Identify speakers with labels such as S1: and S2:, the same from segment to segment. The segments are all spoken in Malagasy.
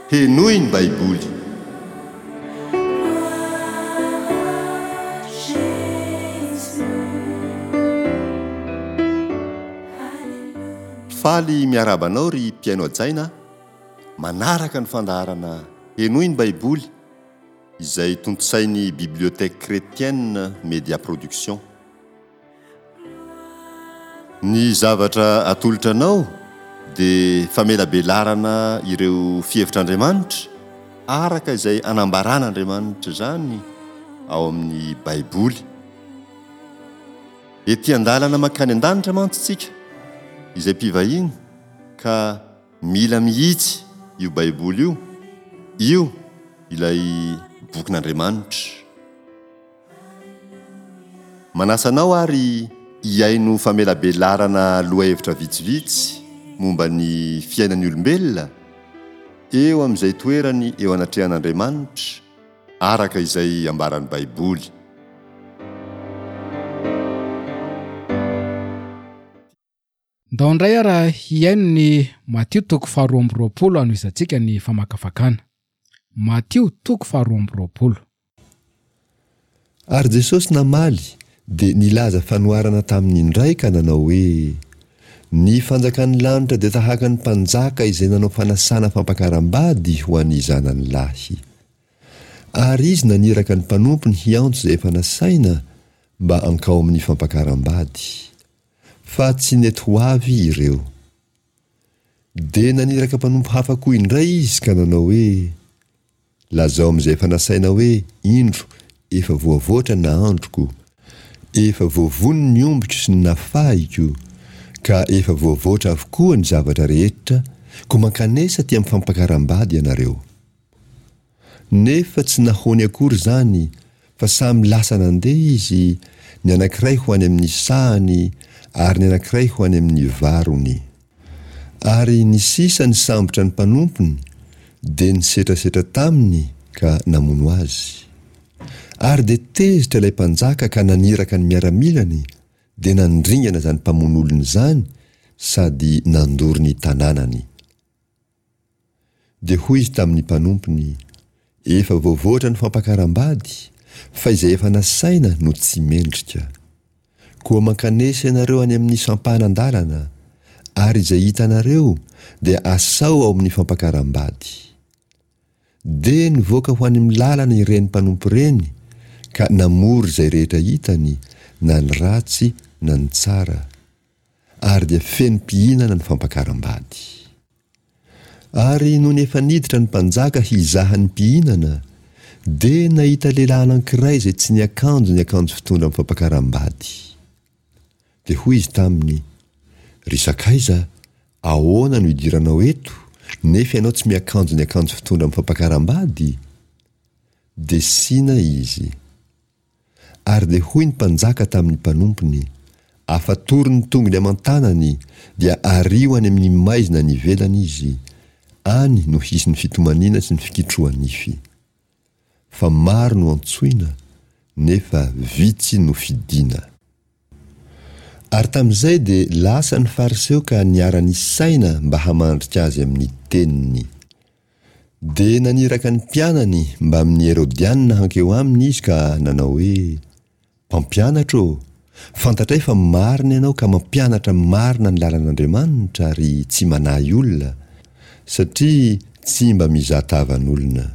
S1: Henoy ny Baiboly. Faly miarahaba anao ry mpihaino hajaina a! Manaraka ny fandaharana Henoy ny Baiboly izay tontosain'ny Bibliothèque Chrétienne Média Production. Ny zavatra atolotra anao dia famelabelarana ireo fihevitr'Andriamanitra araka izay anambaran'Andriamanitra izany ao amin'ny Baiboly. Ety an-dalana mankany an-danitra mantsy isika izay mpivahiny ka mila mihitsy io Baiboly io, io ilay bokin'Andriamanitra. Manasa anao ary hihaino famelabelarana lohahevitra vitsivitsy momba ny fiainan'ny olombelona eo amin'izay toerany eo anatrehan'Andriamanitra araka izay ambaran'ny Baiboly.
S2: Ndao indray ara hihaino ny Matio toko faharoa amby 20 hanohizantsika ny famakafakana. Matio toko faharoa amby 20.
S1: Ary Jesosy namaly dia nilaza fanoharana taminy indray ka nanao hoe, Ny fanjakan'ny lanitra dia tahaka ny mpanjaka izay nanao fanasana fampakaram-bady ho an'ny zanany lahy. Ary izy naniraka ny mpanompony hiantso izay efa nasaina mba hankao amin'ny fampakaram-bady. Fa tsy nety ho avy ireo. Dia naniraka mpanompo hafa koa indray izy ka nanao hoe, Lazao amin'izay efa nasaina hoe, Indro, efa voavoatra ny nahandroko, efa voavono ny ombiko sy ny nafahiko, ka efa voavoatra avokoa ny zavatra rehetra, koa mankanesa aty amin'ny fampakaram-bady ianareo. Nefa tsy nahoany akory izany fa samy lasa nandeha izy, ny anankiray ho any amin'ny sahany ary ny anankiray ho any amin'ny varony. Ary ny sisa nisambotra ny mpanompony dia nisetrasetra taminy ka namono azy. Ary dia tezitra ilay mpanjaka ka naniraka ny miaramilany dia nandringana izany mpamono olona izany sady nandoro ny tanànany. Dia hoy izy tamin'ny mpanompony, Efa voavoatra ny fampakaram-bady, fa izay efa nasaina no tsy mendrika. Koa mankanesa ianareo any amin'ny sampanan-dalana, ary izay hitanareo dia asao ao amin'ny fampakaram-bady. Dia nivoaka ho any amin'ny lalana ireny mpanompo ireny ka namory izay rehetra hitany, na ny ratsy na ny tsara. Ary dia feno mpihinana ny fampakaram-bady. Ary nony efa niditra ny mpanjaka hizaha ny mpihinana, dia nahita lehilahy anankiray izay tsy niakanjo ny akanjo fitondra amin'ny fampakaram-bady. Dia hoy izy taminy, Ry sakaiza, ahoana no idiranao eto, nefa ianao tsy miakanjo ny akanjo fitondra amin'ny fampakaram-bady? Dia sina izy. Ary dia hoy ny mpanjaka tamin'ny mpanompony, Afatory ny tongony aman-tanany, dia ario any amin'ny maizina any ivelany izy, any no hisy ny fitomaniana sy ny fikitroha-nify. Fa maro no antsoina, nefa vitsy no fidina. Ary tamin'izay dia lasa ny Fariseo ka niara-nisaina mba hamandrika azy amin'ny teniny. Dia naniraka ny mpianany mbamin'ny Herodianina hankeo aminy izy ka nanao hoe, Mpampianatra ô, fantatray fa marina ianao ka mampianatra marina ny lalan'Andriamanitra ary tsy manahy olona, satria tsy mba mizaha tavan'olona.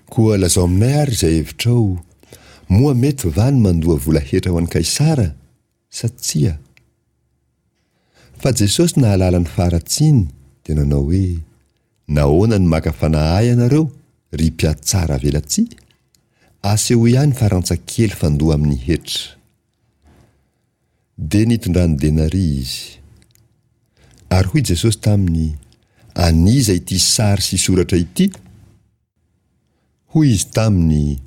S1: Koa lazao aminay àry izay hevitrao, moa mety va ny mandoa vola hetra ho an'i Kaisara sa tsia? Fa Jesosy nahalala ny faharatsiany dia nanao hoe, Nahoana no maka fanahy ahy ianareo, ry mpihatsara velatsihy? Asehoy ahy ny farantsa kely fandoa amin'ny hetra. Dia nitondrany denaria izy. Ary hoy Jesosy taminy, An'iza ity sary sy soratra ity? Hoy izy taminy,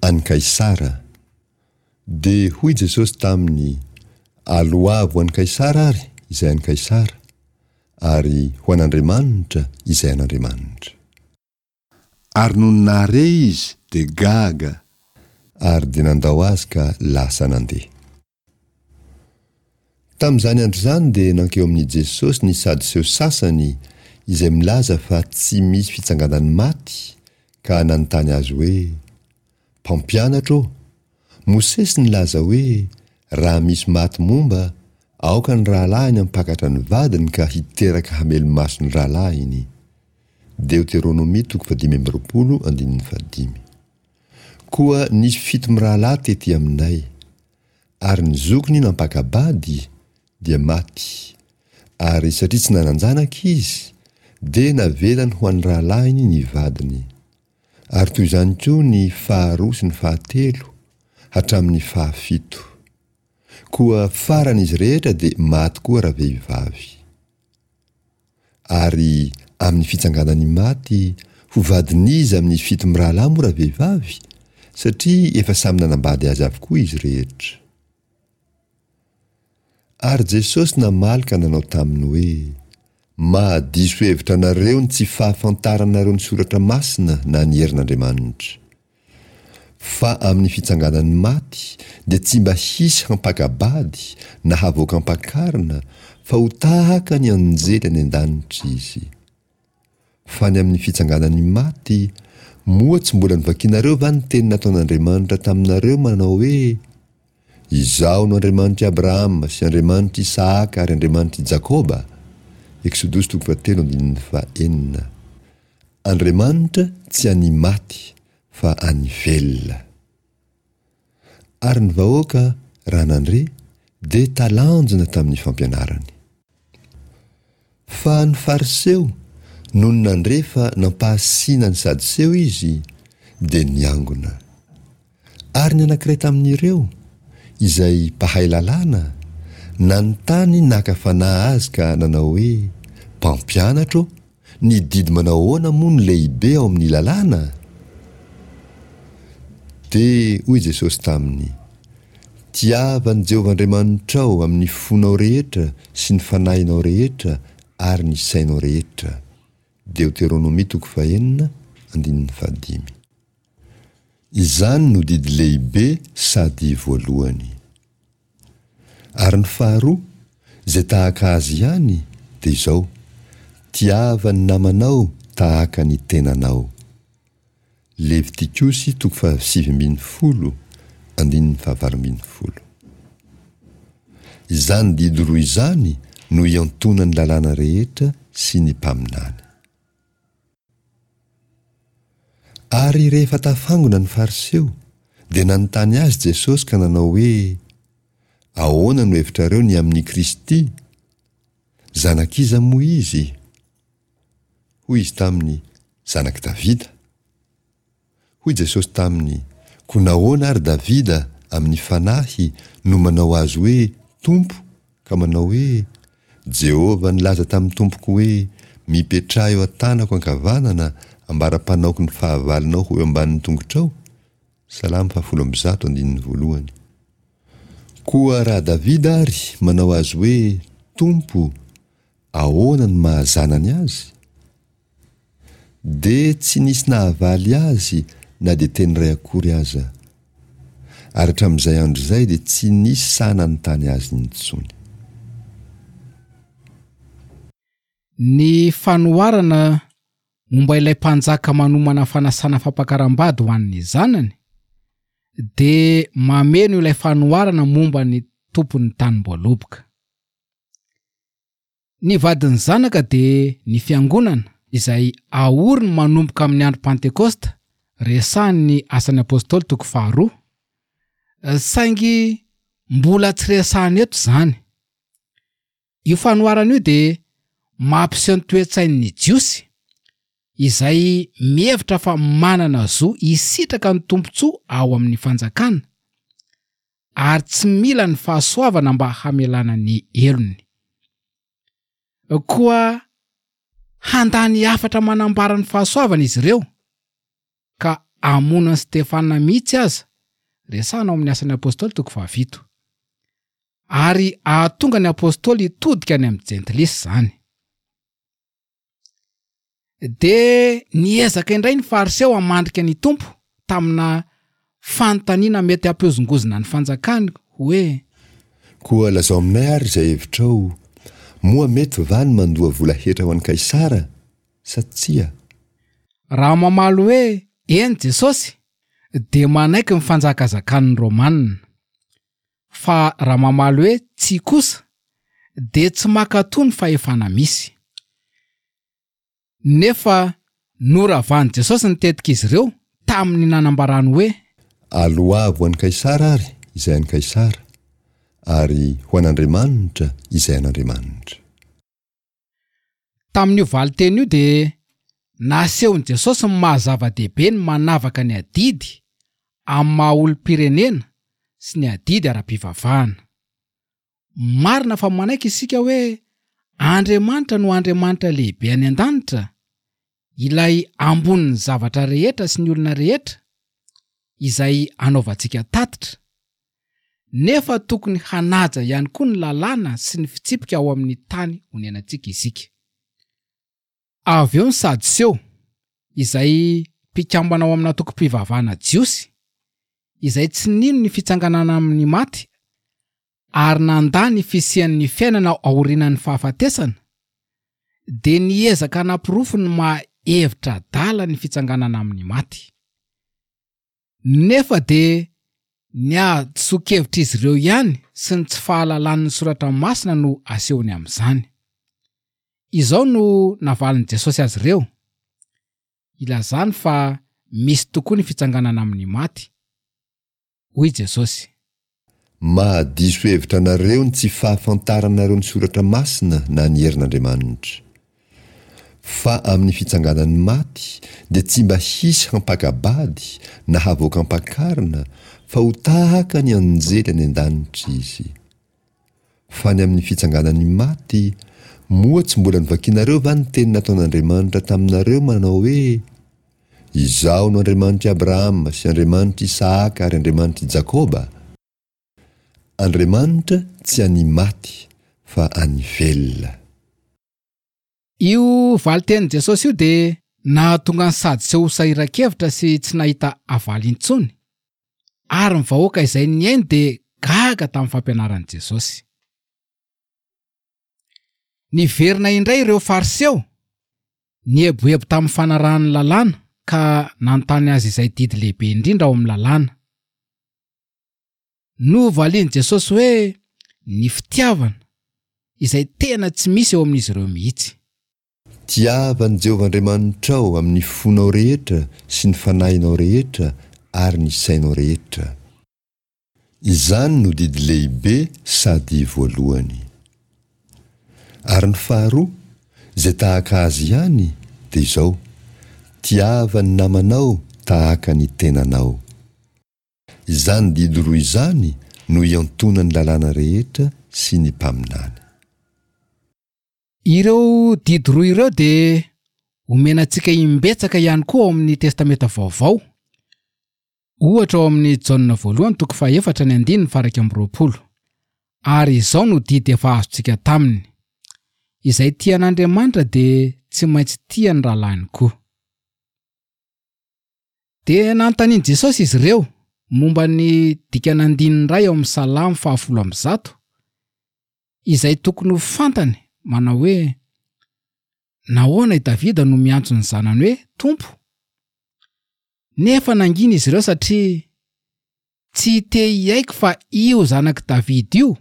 S1: An'i Kaisara. Dia hoy Jesosy taminy, Aloavo ho an'i Kaisara ary izay an'i Kaisara, ary ho an'Andriamanitra izay an'Andriamanitra. Ary nony nahare izy dia gaga, ary dia nandao azy ka lasa nandeha. Tamin'izany andro izany dia nankeo amin'i Jesosy ny Sadoseo sasany izay milaza fa tsy misy fitsanganan'ny maty, ka nanontany azy hoe, Mpampianatra ô, Mosesy nilaza hoe, Raha misy maty momba, aoka ny rahalahiny hampakatra ny vadiny ka hiteraka hamelo-maso ny rahalahiny. Deoteronomia toko fahadimy amby 20 andininy fahadimy. Koa nisy fito mirahalahy tety aminay. Ary ny zokiny nampaka-bady, dia maty, ary satria tsy nanan-janaka izy, dia navelany ho an'ny rahalahiny ny vadiny. Ary toy izany koa ny faharoa sy ny fahatelo, hatramin'ny fahafito. Koa farany izy rehetra dia maty koa ravehivavy. Ary amin'ny fitsanganan'ny maty, ho vadin'iza amin'ny fito mirahalahy moa ravehivavy? Satria efa samy nanambady azy avokoa izy rehetra. Ary Jesosy namaly ka nanao taminy hoe, Mahadiso hevitra anareo ny tsy fahafantaranareo ny Soratra Masina na ny herin'Andriamanitra. Fa amin'ny fitsanganan'ny maty dia tsy mba hisy hampaka-bady na havoaka am-pakarina fa ho tahaka ny anjely any an-danitra izy. Fa ny amin'ny fitsanganan'ny maty, moa tsy mbola novakinareo va ny teny nataon'Andriamanitra taminareo manao hoe, Izaho no Andriamanitr'i Abrahama sy Andriamanitr'i Isahaka ary Andriamanitr'i Jakoba? Eksodosy toko fahatelo andininy fahenina. Andriamanitra tsy an'ny maty fa an'ny velona. Ary ny vahoaka, raha nandre, dia talanjona tamin'ny fampianarany. Fa ny Fariseo, nony nandre fa nampahasiana ny Sadoseo izy, dia niangona. Ary ny anankiray tamin'ireo, izay mpahay lalàna, nanontany naka fanahy azy ka nanao hoe, Mpampianatra ô, ny didy manao ahoana moa no lehibe ao amin'ny lalàna? Dia hoy Jesosy taminy, Tiava an'i Jehovah Andriamanitrao amin'ny fonao rehetra sy ny fanahinao rehetra ary ny sainao rehetra. Deoteronomia toko fahenina, andininy fahadimy. Izany no didy lehibe sady voalohany. Ary ny faharoa, izay tahaka azy ihany, dia izao, Tiava ny namanao tahaka ny tenanao. Levitikosy toko faha-19, andininy faha-18. Izany didy roa izany no iantonan'ny lalàna rehetra sy ny mpaminany. Ary rehefa tafangona ny Fariseo, dia nanontany azy Jesosy ka nanao hoe, Ahoana no hevitrareo ny amin'i Kristy? Zanak'iza moa izy? Hoy izy taminy, Zanak'i Davida. Hoy Jesosy taminy, Koa nahoana ary Davida amin'ny Fanahy no manao azy hoe Tompo, ka manao hoe, Jehovah nilaza tamin'ny Tompoko hoe, Mipetraha eo an-tanako ankavanana, ambara-panaoko ny fahavalonao ho eo ambanin'ny tongotrao? Salamo fahafolo ambizato andininy voalohany. Koa raha Davida ary manao azy hoe Tompo, ahoana no maha zanany azy? Dia tsy nisy nahavaly azy na dia teny iray akory aza. Ary hatramin'izay andro izay dia tsy nisy sahy nanontany azy intsony.
S2: Ny fanoharana momba ilay mpanjaka manomana fanasana fampakaram-bady ho an'ny zanany dia mameno ilay fanoharana momba ny tompon'ny tanim-boaloboka. Ny vadin'ny Zanaka dia ny Fiangonana, izay aoriny manomboka amin'ny andro Pantekosta, resahin'ny Asan'ny Apostoly toko faharoa. Saingy mbola tsy resahina eto izany. Io fanoharana io dia mampiseho ny toe-tsain'ny Jiosy, izay mihevitra fa manana zo hisitraka ny tombontsoa ao amin'ny fanjakana, ary tsy mila ny fahasoavana mba hamelana ny helony. Koa handà ny hafatra manambara ny fahasoavana izy ireo, ka hamono an'i Stefana mihitsy aza, resahina ao amin'ny Asan'ny Apostoly toko fahafito. Ary hahatonga ny apostoly hitodika any amin'ny Jentilisa izany. Dia niezaka indray ny Fariseo hamandrika ny Tompo tamina fanontaniana mety hampihozongozona ny fanjakany hoe.
S1: Koa lazao aminay ary izay hevitrao, moa mety va ny mandoa vola hetra ho an'i Kaisara? sa tsia?
S2: Raha mamaly hoe eny Jesosy, dia manaiky ny fanjakazakan'ny Romanina. Fa raha mamaly hoe tsia kosa, dia tsy mankatò ny fahefana misy. Nefa noravan'i Jesosy ny tetik'izy ireo tamin'ny nanambarany hoe.
S1: Aloavy ho an'i Kaisara àry izay an'i Kaisara, ary ho an'Andriamanitra izay an'Andriamanitra.
S2: Tamin'io valin-teny io dia nasehon'i Jesosy ny maha zava-dehibe ny manavaka ny adidy amin'ny maha olom-pirenena sy ny adidy ara-pivavahana. Marina fa manaiky isika hoe Andriamanitra no Andriamanitra lehibe any an-danitra, ilay ambonin'ny zavatra rehetra sy ny olona rehetra, izay anaovantsika tatitra. Nefa tokony hanaja ihany koa ny lalàna sy ny fitsipika ao amin'ny tany onenantsika isika. Avy eo ny Sadoseo, izay mpikambana ao amina antokom-pivavahana jiosy, izay tsy nino ny fitsanganana amin' ny maty ary nandà ny fisian' ny fiainana aorianan' ny fahafatesana, dia niezaka hanaporofo ny maha hevitra adala ny fitsanganana amin' ny maty. Nefa dia ny hadisoan-kevitr' izy ireo ihany sy ny tsy fahalalany ny Soratra Masina no asehony amin' izany. Izao no navalin' i Jesosy azy ireo, Ilazany fa misy tokoa ny fitsanganana amin'ny maty, hoy Jesosy.
S1: Mahadiso hevitra anareo ny tsy fahafantaranareo ny Soratra Masina na ny herin'Andriamanitra. Fa amin'ny fitsanganan'ny maty dia tsy mba hisy hampaka-bady na havoaka am-pakarina fa ho tahaka ny anjely any an-danitra izy. Fa ny amin'ny fitsanganan'ny maty, moa tsy mbola novakinareo va ny teny nataon'Andriamanitra taminareo manao hoe, Izaho no Andriamanitr'i Abrahama sy Andriamanitr'i Isahaka ary Andriamanitr'i Jakoba? Andriamanitra tsy an'ny maty, fa an'ny velona.
S2: Io valin-tenin'i Jesosy io dia nahatonga ny Sadoseo ho sahiran-kevitra sy tsy nahita havaly intsony. Ary ny vahoaka izay nihaino dia gaga tamin'ny fampianaran'i Jesosy. Niverina indray ireo Fariseo, nieboebo tamin'ny fanarahany ny lalàna ka nanontany azy izay didy lehibe indrindra ao amin'ny lalàna. Novalian'i Jesosy hoe ny fitiavana, izay tena tsy misy eo amin'izy ireo mihitsy.
S1: Tiava an'i Jehovah Andriamanitrao amin'ny fonao rehetra sy ny fanahinao rehetra ary ny sainao rehetra. Izany no didy lehibe sady voalohany. Ary ny faharoa, izay tahaka azy ihany, dia izao, Tiava ny namanao tahaka ny tenanao. Izany didy roa izany no iantonan'ny lalàna rehetra sy ny mpaminany.
S2: Ireo didy roa ireo dia omena antsika imbetsaka ihany koa ao amin'ny Testamenta Vaovao. Ohatra ao amin'ny Jaona voalohany toko fahaefatra ny andininy faha-21. Ary izao no didy efa azontsika taminy, Izay tia an'Andriamanitra dia tsy maintsy tia ny rahalahiny koa. Dia nanontanian'i Jesosy izy ireo momba ny dikan'andininy iray ao amin'ny Salamo fahafolo ambizato, izay tokony ho fantany, manao hoe, Nahoana i Davida no miantso ny zanany hoe Tompo? Nefa nangina izy ireo satria tsy te hiaiky fa io zanak'i Davida io,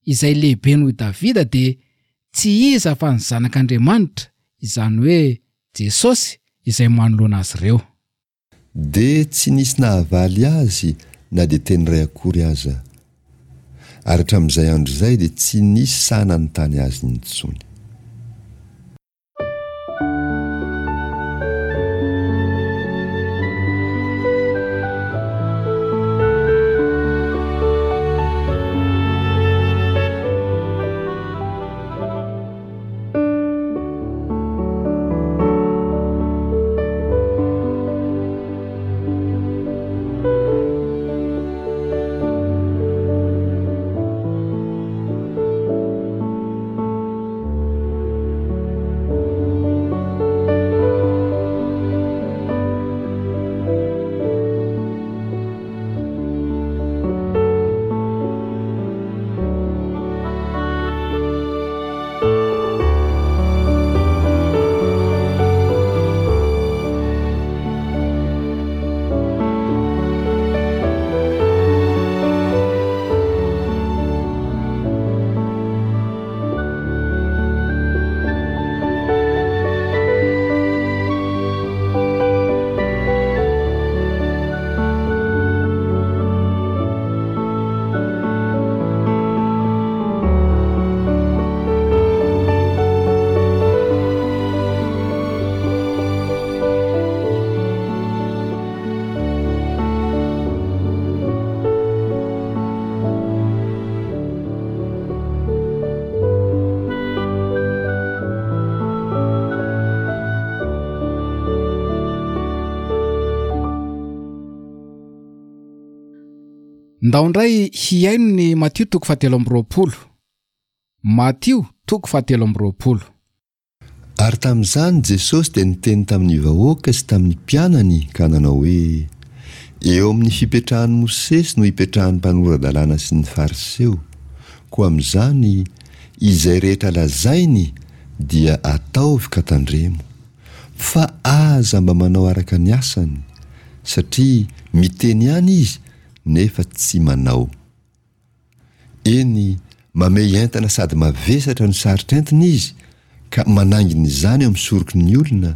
S2: izay lehibe noho i Davida, dia tsy iza fa ny Zanak'Andriamanitra, izany hoe Jesosy, izay manoloana azy ireo.
S1: Dia tsy nisy nahavaly azy na dia teny iray akory aza. Ary hatramin'izay andro izay dia tsy nisy sahy nanontany azy intsony.
S2: Ndao indray hihaino ny Matio toko fahatelo amby 20. Matio toko fahatelo amby 20.
S1: Ary tamin'izany Jesosy dia niteny tamin'ny vahoaka sy tamin'ny mpianany ka nanao hoe, Eo amin'ny fipetrahan'i Mosesy no ipetrahan'ny mpanora-dalàna sy ny Fariseo, koa amin'izany, izay rehetra lazainy dia ataovy ka tandremo, fa aza mba manao araka ny asany, satria miteny ihany izy nefa tsy manao. Eny, mamehy entana sady mavesatra no sarotra entina izy ka manaingina izany eo amin'ny soroky ny olona,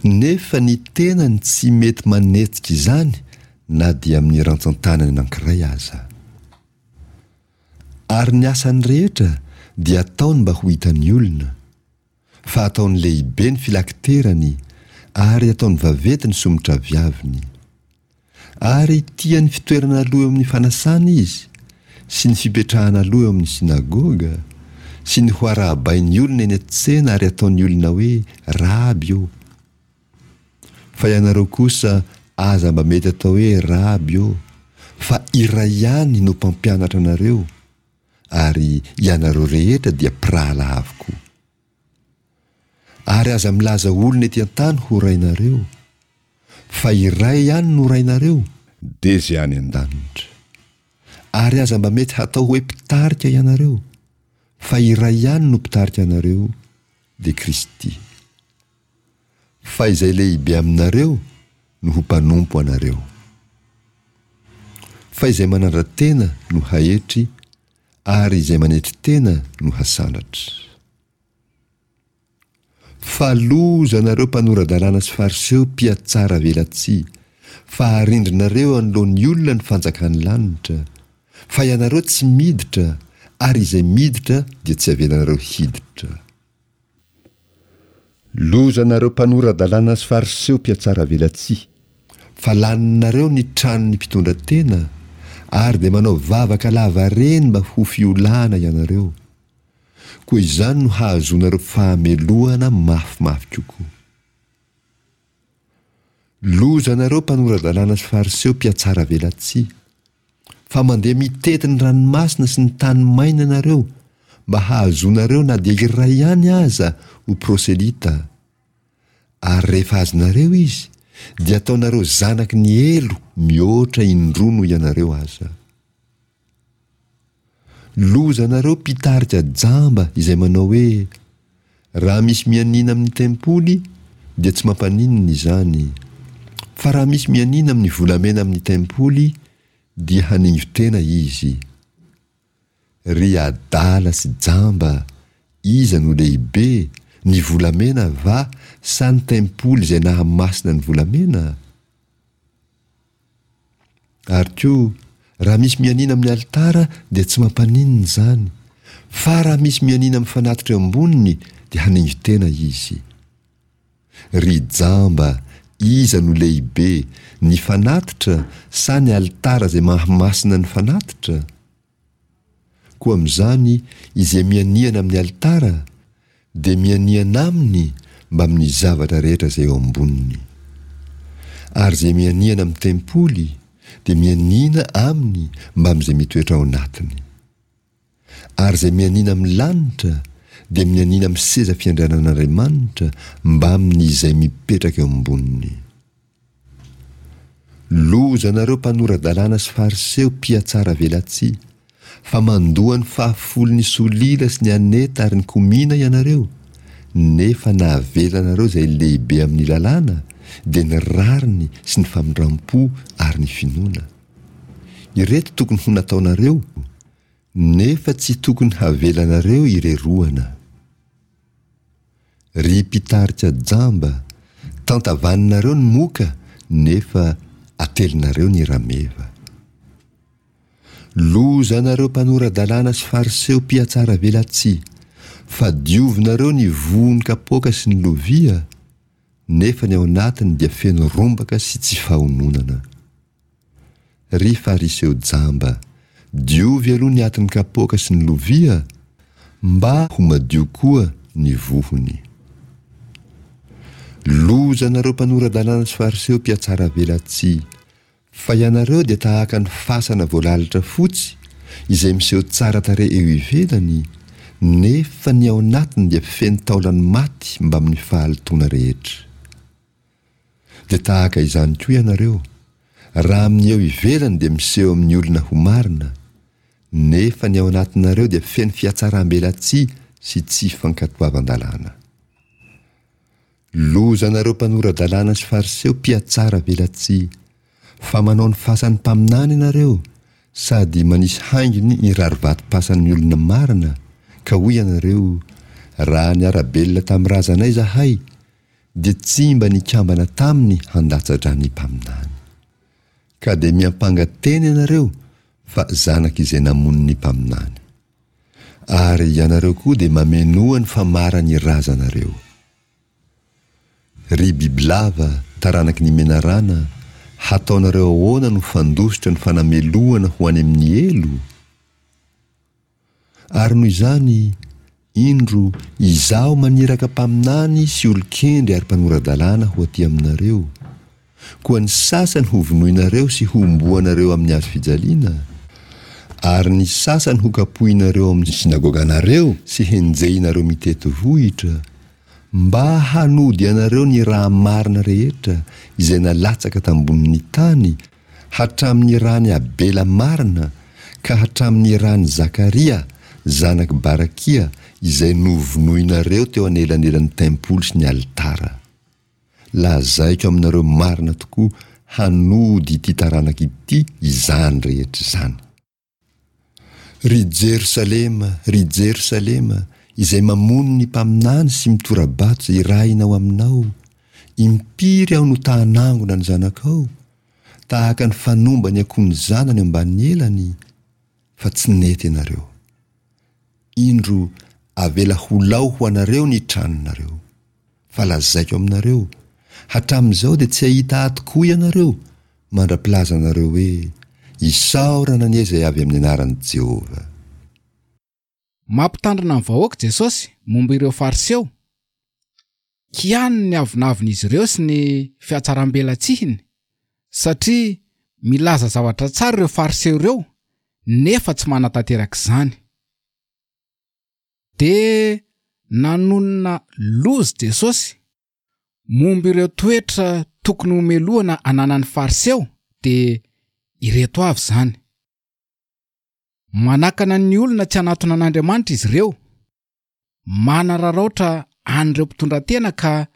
S1: nefa ny tenany tsy mety manetsika izany na dia amin'ny rantsan-tanany anankiray aza. Ary ny asany rehetra dia ataony mba ho hitan'ny olona, fa ataony lehibe ny filakiterany ary ataony vaventy ny somotraviaviny. Ary tia ny fitoerana aloha eo amin'ny fanasana izy, sy ny fipetrahana aloha eo amin'ny synagoga, sy ny ho arahabain'ny olona eny an-tsena ary ataon'ny olona hoe, Raby ô! Fa ianareo kosa aza mba mety atao hoe Raby ô, fa iray ihany no Mpampianatra anareo, ary ianareo rehetra dia mpirahalahy avokoa. Ary aza milaza olona ety an-tany ho rainareo, fa iray ihany no Rainareo, dia izay any an-danitra. Ary aza mba mety hatao hoe mpitarika ianareo, fa iray ihany no mpitarika anareo, dia Kristy. Fa izay lehibe aminareo no ho mpanompo anareo. Fa izay manandra-tena no haetry, ary izay manetry tena no hasandratra. Fa loza anareo mpanora-dalàna sy fariseo mpihatsara velatsihy, fa arindrinareo eo anoloan'ny olona ny fanjakan'ny lanitra, fa ianareo tsy miditra, ary izay miditra dia tsy avelanareo hiditra. Loza anareo mpanora-dalàna sy fariseo mpihatsara velatsihy, fa laninareo ny tranon'ny mpitondra tena, ary dia manao vavaka lavareny mba ho fiolahana ianareo. Koa izany no hahazoanareo fahamelohana mafimafy kokoa. Loza anareo mpanora-dalàna sy fariseo mpihatsaravelatsihy, fa mandeha mitety ny ranomasina sy ny tany maina ianareo mba hahazoanareo na dia iray ihany aza ho proselyta, ary rehefa azonareo izy dia ataonareo zanaky ny helo mihoatra indroa noho ianareo aza. Lozanareo mpitarika jamba izay manao hoe, Raha misy mianiana amin'ny tempoly dia tsy mampaninona izany, fa raha misy mianiana amin'ny volamena amin'ny tempoly dia haningo-tena izy. Ry adala sy jamba, iza no lehibe, ny volamena va sa ny tempoly izay nahamasina ny volamena? Ary koa, raha misy mianiana amin'ny alitara dia tsy mampaninona izany, fa raha misy mianiana amin'ny fanatitra eo amboniny dia haningo-tena izy. Ry jamba, iza no lehibe, ny fanatitra sa ny alitara izay mahamasina ny fanatitra? Koa amin'izany izay mianiana amin'ny alitara dia mianiana aminy mbamin'ny zavatra rehetra izay eo amboniny. Ary izay mianiana amin'ny tempoly dia mianiana aminy mbamin'izay mitoetra ao anatiny. Ary izay mianiana amin'ny lanitra dia mianiana amin'ny seza fiandrianan'Andriamanitra mbamin'izay mipetraka eo amboniny. Loza anareo mpanora-dalàna sy fariseo mpihatsara velatsihy, fa mandoa ny fahafolon'ny solila sy ny aneta ary ny komina ianareo, nefa nahavelanareo izay lehibe amin'ny lalàna, dia ny rariny sy ny famindram-po ary ny finoana. Ireto tokony ho nataonareo, nefa tsy tokony havelanareo ireroana. Ry mpitarika jamba, tantavaninareo ny moka nefa atelinareo ny rameva. Loza anareo mpanora-dalàna sy fariseo mpihatsaravelatsihy, fa diovinareo ny vohon'ny kapoaka sy ny lovia, nefa ny ao anatiny dia feno rombaka sy tsy fahononana. Ry Fariseo jamba, diovy aloha ny atin'ny kapoaka sy ny lovia, mba ho madio koa ny vohony. Loza anareo mpanora-dalàna sy Fariseo mpihatsaravelatsihy! Fa ianareo dia tahaka ny fasana voalalitra fotsy izay miseho tsara tarehy eo ivelany, nefa ny ao anatiny dia feno taolan'ny maty mbamin'ny fahalotoana rehetra. Dia tahaka izany koa ianareo, raha amin'ny eo ivelany dia miseho amin'ny olona ho marina, nefa ny ao anatinareo dia feno fihatsaram-belatsihy sy tsy fankatoavan-dalàna. Lozanareo mpanora-dalàna sy Fariseo mpihatsara velatsihy, fa manao ny fasan'ny mpaminany ianareo, sady manisy haingony ny rarivatom-pasan'ny olona marina, ka hoy ianareo, Raha niara-belona tamin'ny razanay izahay, dia tsy mba nikambana taminy handatsa-drà ny mpaminany. Ka dia miampanga tena ianareo fa zanak'izay namono ny mpaminany. Ary ianareo koa dia mamenoa ny famaran'ny razanareo. Ry bibilava, taranaky ny menarana, hataonareo ahoana no fandositra ny fanamelohana ho any amin'ny helo? Ary noho izany, indro, Izaho maniraka mpaminany sy olon-kendry ary mpanora-dalàna ho aty aminareo, koa ny sasany hovonoinareo sy hohomboanareo amin'ny hazo fijaliana, ary ny sasany hokapohinareo ao amin'ny synagoganareo sy henjehinareo mitety vohitra, mba hanody anareo ny raha marina rehetra izay nalatsaka tambonin'ny tany hatramin'ny ran'i Abela marina ka hatramin'ny ran'i Zakaria zanak'i Barakia izay novonoinareo teo anelanelan'ny tempoly sy ny alitara. Lazaiko aminareo marina tokoa hanody ity taranaka ity izany rehetra izany. Ry Jerosalema, ry Jerosalema, izay mamono ny mpaminany sy mitora-bato izay irahina ho aminao, impiry aho no ta-hanangona ny zanakao, tahaka ny fanomba ny akoho ny zanany eo ambanin'ny elany, fa tsy nety ianareo. Indro, avela ho lao ho anareo ny tranonareo. Fa lazaiko aminareo, hatramin'izao dia tsy hahita ahy tokoa ianareo, mandra-pilazanareo hoe, Isaorana anie izay avy amin'ny anaran'i Jehovah!
S2: Mampitandrina ny vahoaka Jesosy momba ireo Fariseo. Kianiny ny avonavon'izy ireo sy ny fihatsaram-belatsihiny, satria milaza zavatra tsara ireo Fariseo ireo nefa tsy manatanteraka izany. Dia nanonona loza Jesosy momba ireo toetra tokony homelohana ananan'ny Fariseo, dia ireto avy izany. Manakana ny olona tsy hanatona an'Andriamanitra izy ireo, manararaotra an'ireo mpitondra tena ka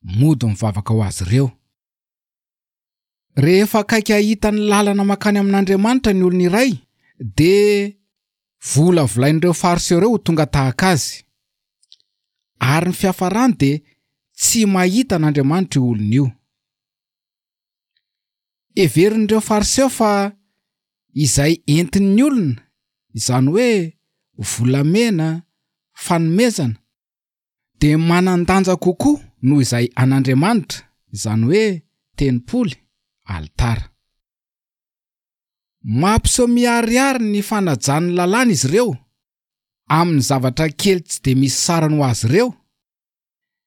S2: mody mivavaka ho azy ireo. Rehefa akaiky hahita ny lalana mankany amin'Andriamanitra ny olona iray, dia volavolain'ireo Fariseo ireo ho tonga tahaka azy. Ary ny fiafarany dia tsy mahita an'Andriamanitra io olona io. Heverin'ireo Fariseo fa izay entin'ny olona, izany hoe volamena, fanomezana, dia manan-danja kokoa noho izay an'Andriamanitra, izany hoe tempoly, alitara. Mampiseho miharihary ny fanajany ny lalàna izy ireo, amin'ny zavatra kely tsy dia misy sarany ho azy ireo,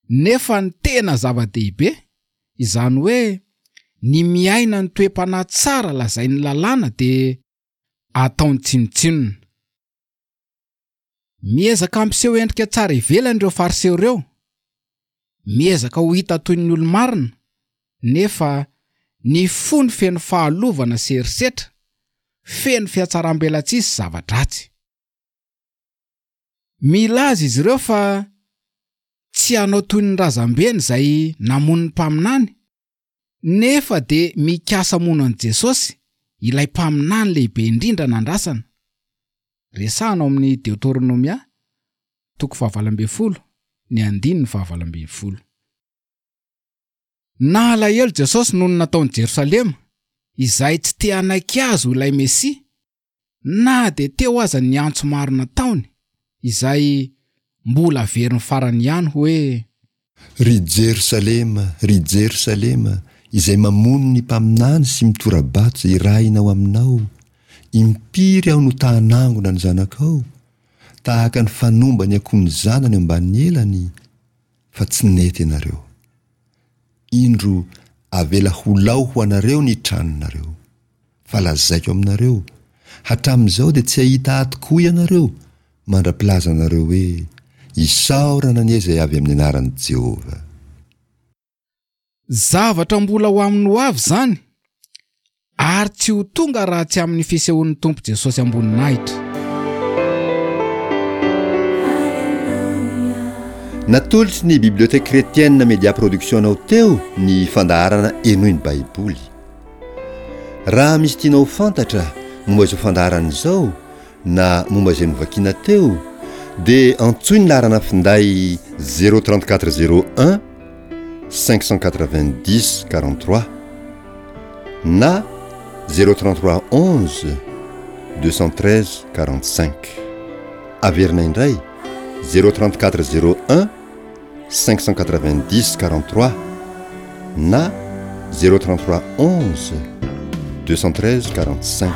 S2: nefa ny tena zava-dehibe, izany hoe ny miaina ny toe-panahy tsara lazain'ny lalàna dia ataony tsinontsinona. Miezaka hampiseho endrika tsara ivelany ireo Fariseo ireo, miezaka ho hita toy ny olo-marina, nefa ny fony feno fahalovana sy herisetra, feno fihatsaram-belatsihy sy zava-dratsy. Milaza izy ireo fa tsy hanao toy ny razambeny izay namono ny mpaminany, nefa dia mikasa hamono an'i Jesosy, ilay mpaminany lehibe indrindra nandrasana. Resahana ao amin'ny Deoteronomia, toko fahavalo ambin'ny folo, ny andininy fahavalo ambin'ny folo. Nalahelo Jesosy noho ny nataon'i Jerosalema, izay tsy te hanaiky azy ho ilay Mesia, na dia teo aza ny antso maro nataony, izay mbola averiny farany ihany hoe.
S1: Ry Jerosalema, ry Jerosalema, izay mamono ny mpaminany sy mitora-bato izay irahina ho aminao, impiry aho no ta-hanangona ny zanakao, tahaka ny fanomba ny akoho ny zanany eo ambanin'ny elany, fa tsy nety ianareo. Indro, avela ho lao ho anareo ny tranonareo. Fa lazaiko aminareo, hatramin'izao dia tsy hahita Ahy tokoa ianareo, mandra-pilazanareo hoe, Isaorana anie izay avy amin'ny anaran'i Jehovah.
S2: Zavatra mbola ho amin'ny ho avy izany, ary tsy ho tonga raha tsy amin'ny fisehoan'ny Tompo Jesosy am-boninahitra.
S1: Natolotry ny Bibliothèque Chrétienne Media Production anao teo ny fandaharana Henoy ny Baiboly. Raha misy tianao ho fantatra momba izao fandaharana izao na momba izay novakiana teo dia antsoy ny laharana finday 034 01 590 43 na 033 11 213 45. Averina indray 034 01 590 43 na 033 11 213 45.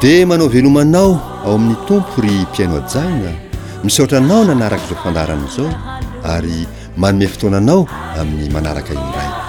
S1: Dia manao veloma anao ao amin'ny Tompo ry mpihaino hajaina, misaotra anao nanaraka izao fandaharana izao ary manome fotoana anao amin'ny manaraka indray.